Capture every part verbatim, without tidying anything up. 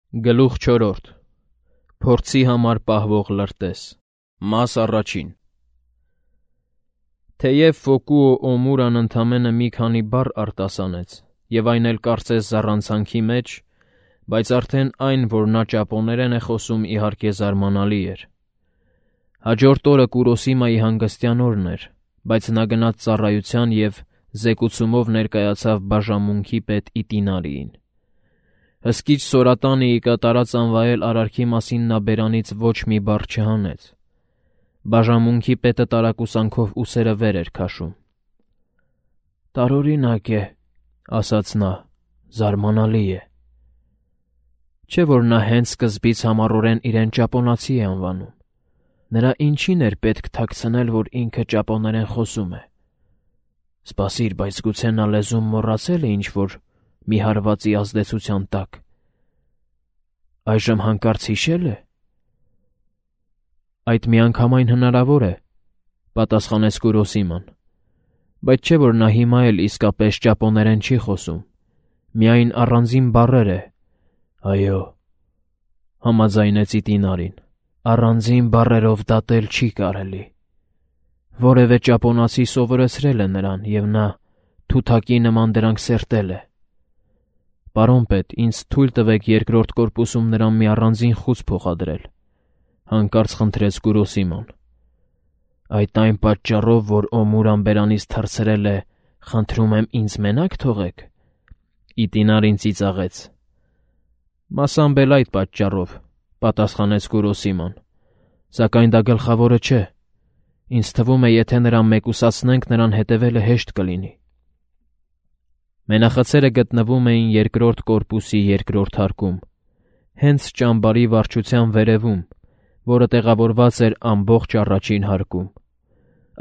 Գլուխ չորրորդ. Փորձի համար պահվող լրտես։ Մաս առաջին։ Թեև Ֆոկուո Օմուրան ընդամենը մի քանի բառ արտասանեց, և այն էլ կարծես զառանցանքի մեջ, բայց արդեն այն, որ նա ճապոներեն է խոսում, իհարկե զարմանալի էր։ Հաջորդ օրը Կուրոսիմայի հանգստյան օրն էր, բայց նա գնաց ծառայության և զեկուցումով ներկայացավ բաժանմունքի պետ Իտինարիին։ Հսկիչ Սորատանիի կատարած անվայել արարքի մասին նա բերանից ոչ մի բառ չհանեց։ Բաժանմունքի պետը տարակուսանքով ուսերը վեր էր քաշում։ «Տարօրինակ է,» ասաց նա,- «զարմանալի է»։ Չէ՞ որ նա հենց սկզբից համառորեն իրեն ճապոնացի է անվանում։ Նրա ինչին էր պետք թաքցնել, որ ինքը ճապոներեն խոսում է։ Սպասիր, բայց գուցե նա լեզուն մոռացել է ինչ-որ մի հարվածի ազդեցության տակ։ Այժմ հանկարծ հիշե՞լ է։ Այդ միանգամայն հնարավոր է, պատասխանեց Կուրոսիման, բայց չէ՞ որ նա հիմա էլ իսկապես ճապոներեն չի խոսում, միայն առանձին բառեր է։ Այո, համաձայնեց Իտինարին, առանձին բառերով դատել չի կարելի։ Որևէ ճապոնացի սովորեցրել է նրան, և նա թութակի նման դրանք սերտել է։ Պարոն պետ, ինձ թույլ տվեք երկրորդ կորպուսում նրան մի առանձին խուծ փոխադրել, հանկարծ խնդրեց Կուրոսիման։ Այդ այն պատճառով, որ Օմուրան բերանից թռցրել է, խնդրում եմ ինձ մենակ թողեք։ Իտինարին ծիծաղեց։ Մասամբ էլ այդ պատճառով, պատասխանեց Կուրոսիման, սակայն դա գլխավորը չէ։ Ինձ թվում է, եթե նրան մեկուսացնենք, նրան հետևելը հեշտ կլինի։ Մենախցերը գտնվում էին երկրորդ կորպուսի երկրորդ հարկում, հենց ճամբարի վարչության վերևում, որը տեղավորված էր ամբողջ առաջին հարկում։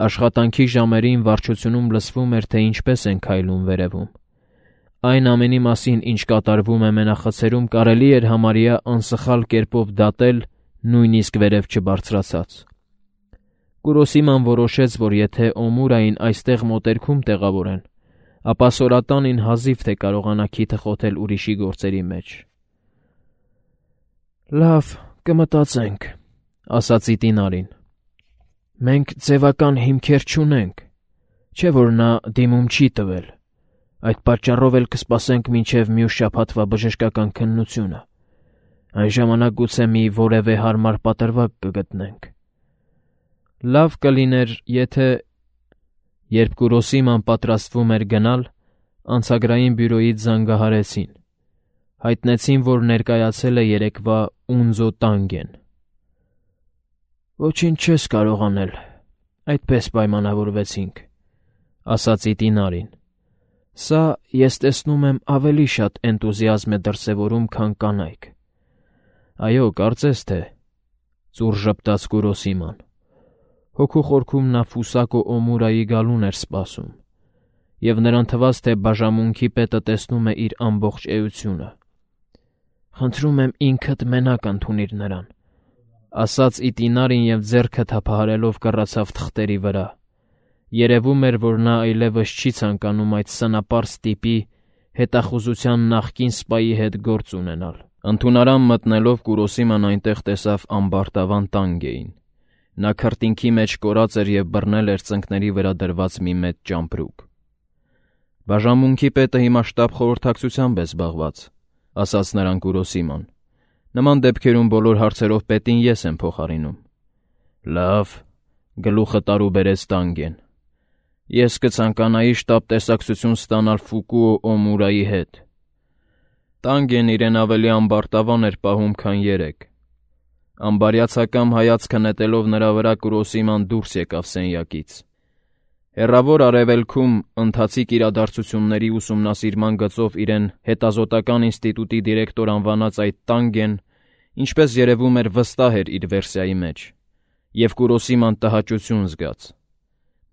Աշխատանքի ժամերին վարչությունում լսվում էր, թե ինչպես են քայլում վերևում։ Այն ամենի մասին, ինչ կատարվում է մենախցերում, կարելի էր համարյա անսխալ կերպով դատել, նույնիսկ վերև չբարձրացած։ Կուրոսիման որոշեց, որ եթե Օմուրային այստեղ մոտերքում տեղավորեն, ապա Սորատանին հազիվ թե կարողանա քիթը խոթել ուրիշի գործերի մեջ։ Լավ, կմտածենք, ասաց Իտինարին։ Մենք ձևական հիմքեր չունենք, չէ՞ որ նա դիմում չի տվել, այդ պատճառով էլ կսպասենք մինչև մյուս շաբաթվա բժշկական քննությունը։ Այն ժամանակ գուցե մի որևէ հարմար պատրվակ կգտնենք։ Լավ կլիներ, եթե… Երբ Կուրոսիման պատրաստվում էր գնալ, անցագրային բյուրոյից զանգահարեցին։ Հայտնեցին, որ ներկայացել է երեկվա Ունձո Տանգեն։ Ոչինչ չես կարող անել, այդպես պայմանավորվեցինք, ասաց Իտինարին։ Սա, ես տեսնում եմ, ավելի շատ էնտուզիազմ է դրսևորում, քան կանայք։ Այո, կարծես թե, ծուռ ժպտաց Կուրոսիման։ Հոգու խորքում նա Ֆուսակո Օմուրայի գալուն էր սպասում, և նրան թվաց, թե բաժանմունքի պետը տեսնում է իր ամբողջ էությունը։ Խնդրում եմ ինքդ մենակ ընդունիր նրան, ասաց Իտինարին և ձեռքը թափահարելով կռացավ թղթերի վրա։ Երևում էր, որ նա այլևս չի ցանկանում այդ սնապարզ տիպի հետախուզության նախկին սպայի հետ գործ ունենալ։ Ընդունարան մտնելով Կուրոսիման այնտեղ տեսավ ամբարտավան Տանգեին։ Նա քրտինքի մեջ կորած էր և բռնել էր ծնկների վրա դրված մի մեծ ճամպրուկ։ Բաժանմունքի պետը հիմա շտապ խորհրդակցությամբ է զբաղված, ասաց նրան Կուրոսիման։ Նման դեպքերում բոլոր հարցերով պետին ես եմ փոխարինում։ Լավ, գլուխը տարուբերեց Տանգեն։ Ես կցանկանայի շտապ տեսակցություն ստանալ Ֆուկուո Օմուրայի հետ։ Տանգեն իրեն ավելի ամբարտավան էր պահում, քան երեկ։ Ամբարյացակամ հայացքը նետելով նրա վրա Կուրոսիման դուրս եկավ սենյակից։ Հեռավոր արևելքում ընթացիկ իրադարձությունների ուսումնասիրման գծով իրեն հետազոտական ինստիտուտի դիրեկտոր անվանած այդ Տանգեն, ինչպես երևում էր, վստահ էր իր վերսիայի մեջ, և Կուրոսիման տհաճություն զգաց։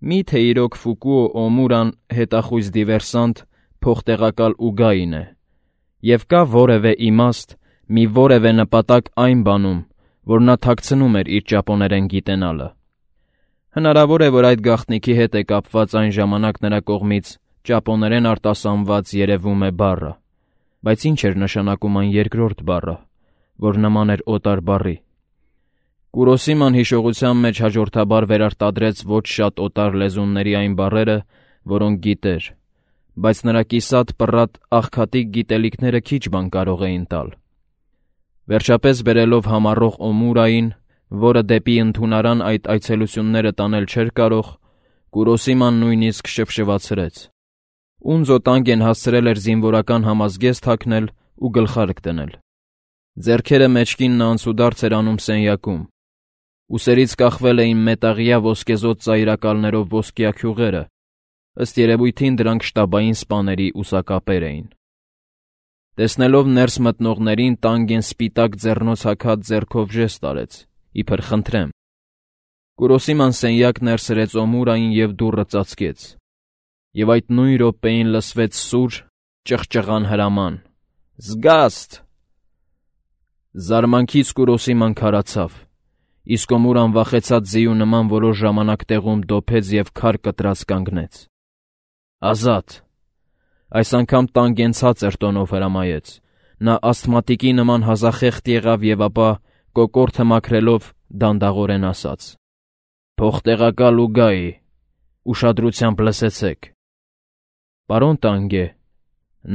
Մի՞թե իրոք Ֆուկուո Օմուրան հետախույզ դիվերսանտ, փոխտեղակալ Ուգային է, և կա որևէ իմաստ, մի որևէ նպատակ այն բանում, որ նա թաքցնում էր իր ճապոներեն գիտենալը։ Հնարավոր է, որ այդ գաղտնիքի հետ է կապված այն ժամանակ նրա կողմից ճապոներեն արտասանված երևում է բառը, բայց ինչ էր նշանակում այն երկրորդ բառը, որ նման էր օտար բառի։ Կուրոսիման հիշողության մեջ հաջորդաբար վերարտադրեց ոչ շատ օտար լեզունների այն բառերը, որոնք գիտեր, բայց նրա կիսատ պռատ աղքատիկ գիտելիքները քիչ բան կարող էին տալ։ Վերջապես բերելով համառող Օմուրային, որը դեպի ընդունարան այդ այցելությունները տանել չէր կարող, Կուրոսիման նույնիսկ շվշվացրեց։ Ունձո Տանգեն հասցրել էր զինվորական համազգեստ հագնել ու գլխարկ դնել։ Ձեռքերը մեջքին նա անցուդարձ էր անում սենյակում։ Ուսերից կախվել էին մետաղյա ոսկեզօծ ծայրակալներով ոսկյա քյուղերը, ըստ երևույթին դրանք շտաբային սպաների ուսակապեր էին։ Տեսնելով ներս մտնողներին, Տանգեն սպիտակ ձեռնոց հագած ձեռքով ժեստ արեց, իբր խնդրեմ։ Կուրոսիման սենյակ ներսրեց Օմուրային և դուռը ծածկեց։ Եվ այդ նույն րոպեին լսվեց սուր, ճղճղան հրաման. «Զգաստ»։ Զարմանքից Կուրոսիման քարացավ, իսկ Օմուրան վախեցած ձիու նման որոշ ժամանակ տեղում դոփեց և քար կտրած կանգնեց։ «Ազատ»։ Այս անգամ Տանգեն ցածր տոնով հրամայեց։ Նա ասթմատիկի նման հազախեղտ եղավ և ապա, կոկորդը մաքրելով, դանդաղորեն ասաց. «Փող տեղակալ Ուգայի, ուշադրությամբ լսեցեք»։ «Պարոն Տանգե»,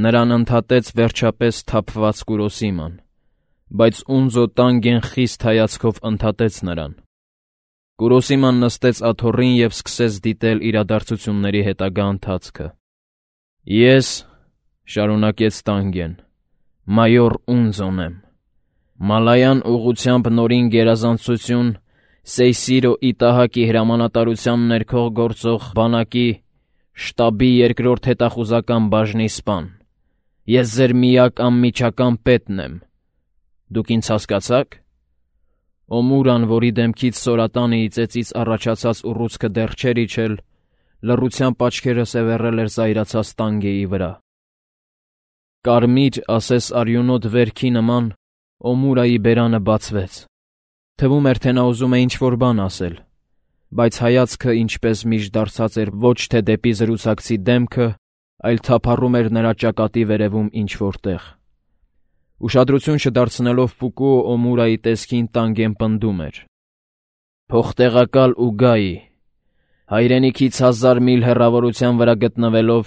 նրան ընդհատեց վերջապես սթափված Կուրոսիման, բայց Ունձո Տանգեն խիստ հայացքով ընդհատեց նրան։ Կուրոսիման նստեց աթոռին և սկսեց դիտել իրադարձությունների հետագա ընթացքը։ «Ես», շարունակեց Տանգեն, «մայոր Ունձոն եմ։ Մալայան ուղղությամբ նորին գերազանցություն Սեյսիրո Իտահակի հրամանատարության ներքո գործող բանակի շտաբի երկրորդ հետախուզական բաժնի սպան։ Ես ձեր միակ անմիջական պետն եմ։ Դուք ինձ հասկացա՞ք»։ Օմուրան, որի դեմքից սորատանի իծեցից առաջացած ուռուցքը դեռ չէր իջել, լռությամբ աչքերը սևեռել էր զայրացած Տանգեի վրա։ Կարմիր, ասես արյունոտ վերքի նման, Օմուրայի բերանը բացվեց։ Թվում էր, թե նա ուզում է ինչ-որ բան ասել, բայց հայացքը, ինչպես միշտ դարձած էր ոչ թե դեպի զրուցակցի դեմքը, այլ թափառում էր նրա ճակատի վերևում ինչ-որ տեղ։ Ուշադրություն չդարձնելով Ֆուկուո Օմուրայի տեսքին, Տանգեն պնդում էր. «Փող տեղակալ Ուգայի, հայրենիքից հազար միլ հեռավորության վրա գտնվելով,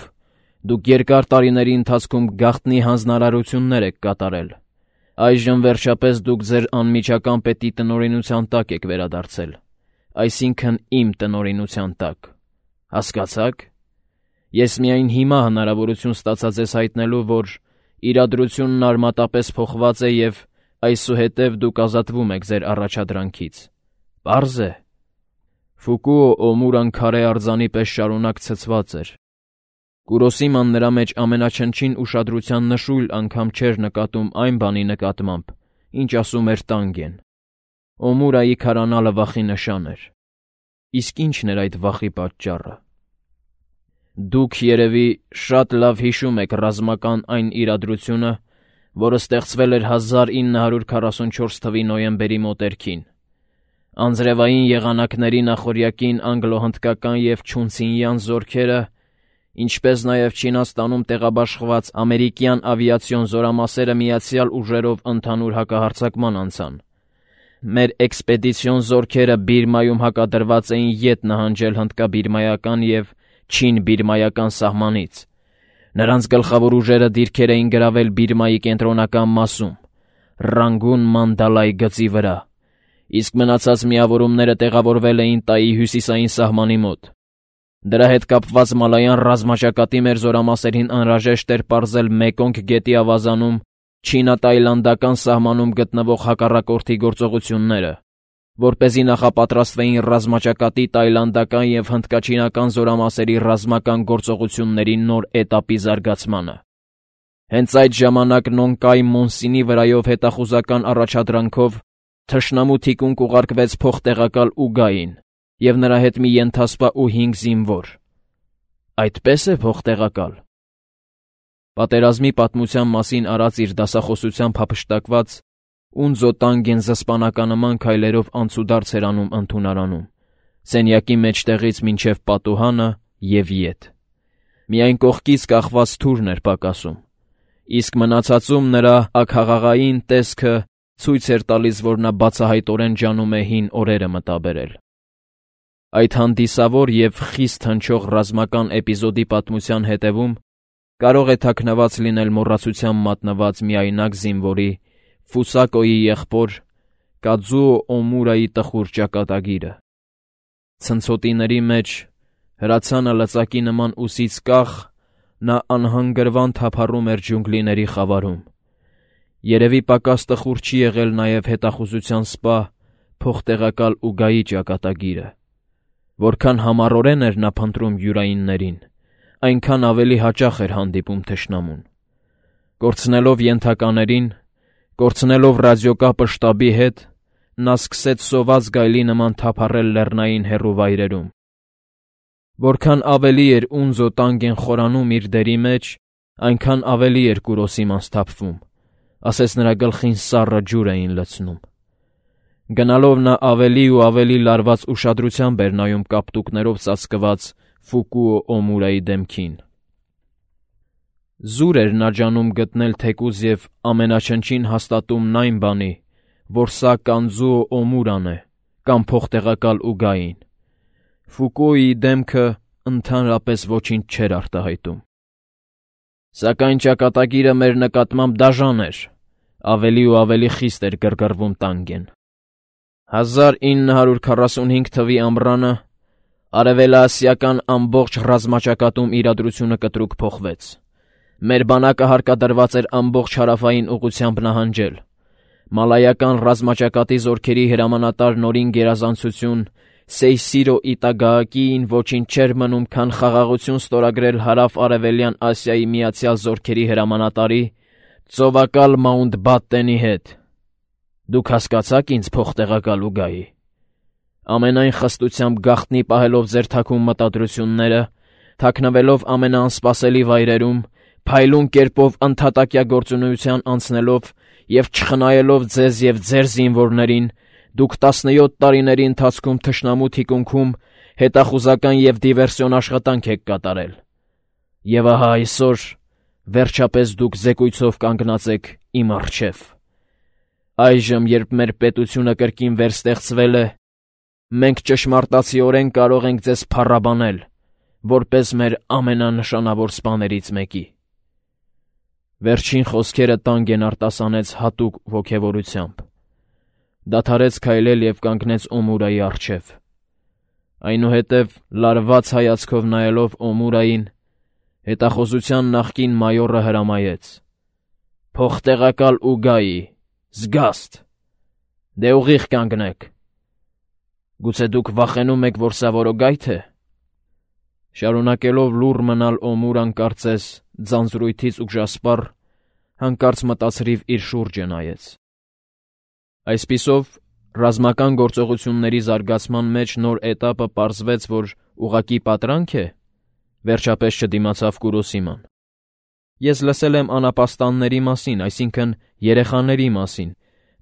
դուք երկար տարիների ընթացքում գաղտնի հանձնարարություններ եք կատարել։ Այժմ վերջապես դուք ձեր անմիջական պետի տնօրինության տակ եք վերադարձել, այսինքն իմ տնօրինության տակ։ Հասկացա՞ք։ Ես միայն հիմա հնարավորություն ստացա ձեզ հայտնելու, որ իրադրությունն արմատապես փոխված է և այսուհետև դուք ազատվում եք ձեր առաջադրանքից։ Պարզ է»։ Ֆուկուո Օմուրան քարե արձանի պես շարունակ ցցված էր։ Կուրոսիման նրա մեջ ամենաչնչին ուշադրության նշույլ անգամ չէր նկատում այն բանի նկատմամբ, ինչ ասում էր Տանգեն։ Օմուրայի քարանալը վախի նշան էր։ Իսկ ի՞նչն էր այդ վախի պատճառը։ Դուք, երևի, շատ լավ հիշում եք ռազմական այն իրադրությունը, որը ստեղծվել էր հազար ինը հարյուր քառասունչորս թվականի նոյեմբերի մոտերքին։ Անձրևային եղանակների նախօրյակին անգլո-հնդկական և չունցինյան զորքերը, ինչպես նաև Չինաստանում տեղաբաշխված ամերիկյան ավիացիոն զորամասերը միացյալ ուժերով ընդհանուր հակահարձակման անցան։ Մեր էքսպեդիցիոն զորքերը Բիրմայում հակադրված էին ետ նահանջել հնդկա-բիրմայական և չին-բիրմայական սահմանից։ Նրանց գլխավոր ուժերը դիրքեր էին գրավել Բիրմայի կենտրոնական մասում, Ռանգուն Մանդալայ գծի վրա, իսկ մնացած միավորումները տեղավորվել էին Տայի հյուսիսային սահմանի մոտ։ Դրա հետ կապված մալայան ռազմաճակատի մեր զորամասերին անհրաժեշտ էր պարզել Մեկոնգ գետի ավազանում չինա-տայլանդական սահմանում գտնվող հակառակորդի գործողությունները, որպեսզի նախապատրաստվեին ռազմաճակատի տայլանդական և հնդկաչինական զորամասերի ռազմական գործողությունների նոր էտապի զարգացմանը։ Հենց այդ ժամանակ Նոնկայ Մոնսինի վրայով հետախուզական առաջադրանքով թշնամու թիկունք ուղարկվեց փոխտեղակալ Ուգային և նրա հետ մի ենթասպա ու հինգ զինվոր։ Այդպե՞ս է փոխտեղակալ։ Պատերազմի պատմության մասին արած իր դասախոսությամբ հափշտակված Ունձո Տանգեն զսպանականման քայլերով անցուդարձ էր անում ընդունարանում, սենյակի մեջտեղից մինչև պատուհանը և ետ։ Միայն կողքից կախված թուրն էր պակասում, իսկ մնացածում նրա աքաղաղային տեսքը ցույց էր տալիս, որ նա բացահայտորեն ջանում է հին օրերը մտաբերել։ Այդ հանդիսավոր և խիստ հնչող ռազմական էպիզոդի պատմության հետևում կարող է թաքնված լինել մոռացության մատնված միայնակ զինվորի Ֆուսակոյի եղբոր Կաձուո Օմուրայի տխուր ճակատագիրը։ Ցնցոտիների մեջ, հրացանը լծակի նման ուսից կախ, նա անհանգրվան թափառում էր ջունգլիների խավարում։ Երևի պակաս տխուր չի եղել նաև հետախուզության սպա փոխտեղակալ Ուգայի ճակատագիրը։ Որքան համառորեն էր նա փնտրում յուրայիններին, այնքան ավելի հաճախ էր հանդիպում թշնամուն։ Կորցնելով ենթականերին, կորցնելով ռադիոկապը շտաբի հետ, նա սկսեց սոված գայլի նման թափառել լեռնային հեռու վայրերում։ Որքան ավելի էր Ունզո Տանգեն խորանում իր դերի մեջ, այնքան ավելի էր Կուրոսիման սթափվում, ասես նրա գլխին սառը ջուր էին լցնում։ Գնալով նա ավելի ու ավելի լարված ուշադրությամբ էր նայում կապտուկներով ծածկված Ֆուկուո Օմուրայի դեմքին։ Զուր էր նա ջանում գտնել թեկուզ և ամենաչնչին հաստատումն այն բանի, որ սա Կանձուո Օմուրան է կամ փոխտեղակալ Ուգային։ Ֆուկուոյի դեմքը ընդհանրապես ոչինչ չէր արտահայտում։ Սակայն ճակատագիրը մեր նկատմամբ դաժան էր, ավելի ու ավելի խիստ էր գրգռվում Տանգեն։ հազար ինը հարյուր քառասունհինգ թվականի ամռանը արևելաասիական ամբողջ ռազմաճակատում իրադրությունը կտրուկ փոխվեց։ Մեր բանակը հարկադրված էր ամբողջ հարավային ուղղությամբ նահանջել։ Մալայական ռազմաճակատի զորքերի հրամանատար Նորին գերազանցություն Սեյսիրո Իտագաակիին ոչինչ չէր մնում, քան խաղաղություն ստորագրել հարավ-արևելյան Ասիայի միացյալ զորքերի հրամանատարի ծովակալ Մաունտբատտենի հետ։ Դուք հասկացաք ինձ, փոխտեղակալ Ուգայի։ Ամենայն խստությամբ գաղտնի պահելով ձեր թաքուն մտադրությունները, թաքնվելով ամենաանսպասելի վայրերում, փայլուն կերպով ընդհատակյա գործունեության անցնելով և չխնայելով ձեզ և ձեր զինվորներին, դուք տասնյոթ տարիների ընթացքում թշնամու թիկունքում հետախուզական և դիվերսիոն աշխատանք եք կատարել։ Եվ ահա այսօր, վերջապես դուք զեկույցով կանգնած եք իմ առջև։ Այժմ, երբ մեր պետությունը կրկին վերստեղծվել է, մենք ճշմարտացիորեն կարող ենք ձեզ փառաբանել, որպես մեր ամենանշանավոր սպաներից մեկի։ Վերջին խոսքերը Տանգեն արտասանեց հատուկ ոգևորությամբ։ Դադարեց քայլել և կանգնեց Օմուրայի առջև։ Այնուհետև, լարված հայացքով նայելով Օմուրային, հետախուզության նախկին մայորը հրամայեց. «Փոխտեղակալ Ուգայի, զգաստ, դե ուղիղ կանգնեք։ Գուցե դուք վախենում եք, որ սա որոգա՞յթ է»։ Շարունակելով լուռ մնալ Օմուրան կարծես ձանձրույթից ուժասպառ, հանկարծ մտածրիվ իր շուրջը նայեց։ Այսպիսով, ռազմական գործողությունների զարգացման մեջ նոր էտապը պարզվեց, որ ուղղակի պատրանք է, վերջապես չդիմացավ Կուրոսիման։ Ես լսել եմ անապաստանների մասին, այսինքն երեխաների մասին,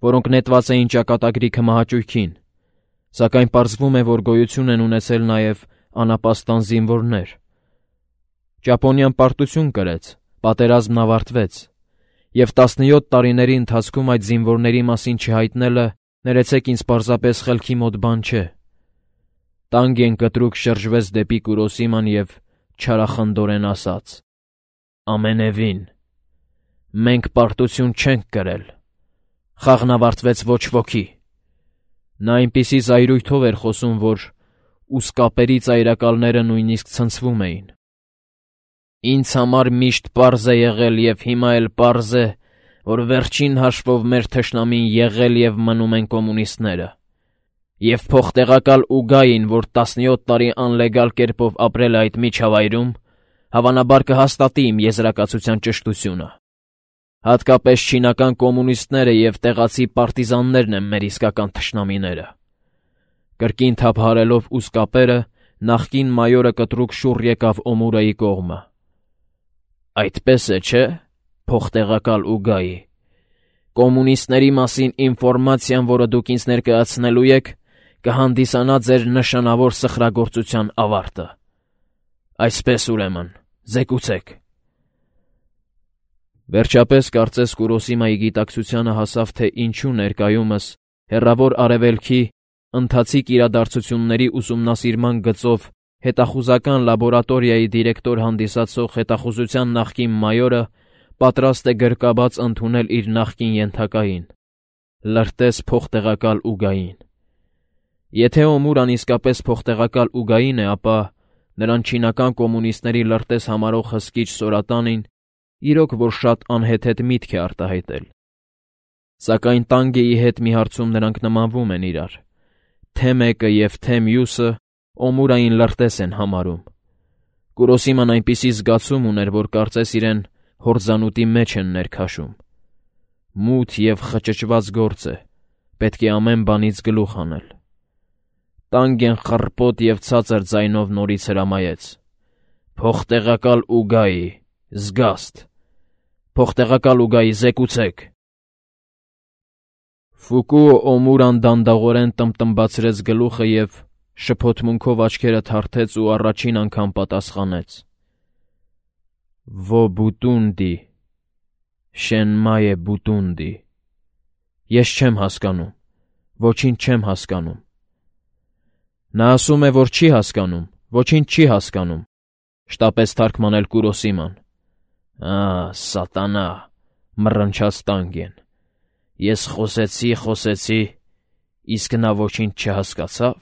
որոնք նետված էին ճակատագրի քմահաճույքին, սակայն պարզվում է, որ գոյություն են ունեցել նաև անապաստան զինվորներ։ Ճապոնիան պարտություն կրեց, պատերազմն ավարտվեց, և տասնյոթ տարիների ընթացքում այդ զինվորների մասին չհայտնելը, ներեցեք ինձ, պարզապես խելքի մոտ բան չէ։ Տանգեն կտրուկ շրջվեց դեպի Կուրոսիման և չարախնդորեն ասաց. «Ամենևին, մենք պարտություն չենք կրել, խաղն ավարտվեց ոչ ոքի»։ Նա այնպիսի զայրույթով էր խոսում, որ ուսկապերի ծայրակալները նույնիսկ ցնցվում էին։ Ինձ համար միշտ պարզ է եղել և հիմա էլ պարզ է, որ վերջին հաշվով մեր թշնամին եղել և մնում են կոմունիստները։ Եվ փոխտեղակալ Ուգային, որ տասնյոթ տարի անլեգալ կերպով ապրել է այդ միջավայրում, հավանաբար կհաստատի իմ եզրակացության ճշտությունը։ Հատկապես չինական կոմունիստները և տեղացի պարտիզաններն են մեր իսկական թշնամիները։ Կրկին թափահարելով ուսկապերը, նախկին մայորը կտրուկ շուռ եկավ Օմուրայի կողմը։ Այդպես է, չէ՞, փոխտեղակալ Ուգայի։ Կոմունիստների մասին ինֆորմացիան, որը դուք ինձ ներկայացնելու եք, կհանդիսանա ձեր նշանավոր սխրագործության ավարտը։ Այսպես ուրեմն, զեկուցեք։ Վերջապես կարծես Կուրոսիմայի գիտակցությանը հասավ, թե ինչու ներկայումս հեռավոր արևելքի ընթացիկ իրադարձությունների ուսումնասիրման գծով հետախուզական լաբորատորիայի դիրեկտոր հանդիսացող հետախուզության նախկին մայորը պատրաստ է գրկաբաց ընդունել իր նախկին ենթակային՝ լրտես փոխտեղակալ ուգային։ Եթե Օմուրան իսկապես փոխտեղակալ ուգային է, ապա նրան չինական կոմունիստների լրտես համարող հսկիչ Սորատանին իրոք որ շատ անհեթեթ միտք է արտահայտել։ Սակայն Տանգեի հետ մի հարցում նրանք նմանվում են իրար. թե մեկը և թե մյուսը Օմուրային լրտես են համարում։ Կուրոսիման այնպիսի զգացում ուներ, որ կարծես իրեն հորձանուտի մեջ են ներքաշում։ Մութ և խճճված գործ է, պետք է ամեն բանից գլուխ հանել։ Տանգեն խռպոտ և ցածր ձայնով նորից հրամայեց. «Փոխտեղակալ ուգայի, զգաստ, փոխտեղակալ ուգայի, զեկուցեք»։ Ֆուկուո Օմուրան դանդաղորեն տմտմբացրեց գլուխը և շփոթմունքով աչքերը թարթեց ու առաջին անգամ պատասխանեց. «Վո բուտունդի, շենմայե բուտունդի։ Ես չեմ հասկանում, ոչինչ չեմ հասկանում»։ Նա ասում է, որ չի հասկանում, ոչինչ չի հասկանում, շտապեց թարգմանել Կուրոսիման։ «Ա, սատանա», մռնչաց Տանգեն, «ես խոսեցի, խոսեցի, իսկ նա ոչինչ չհասկացավ»։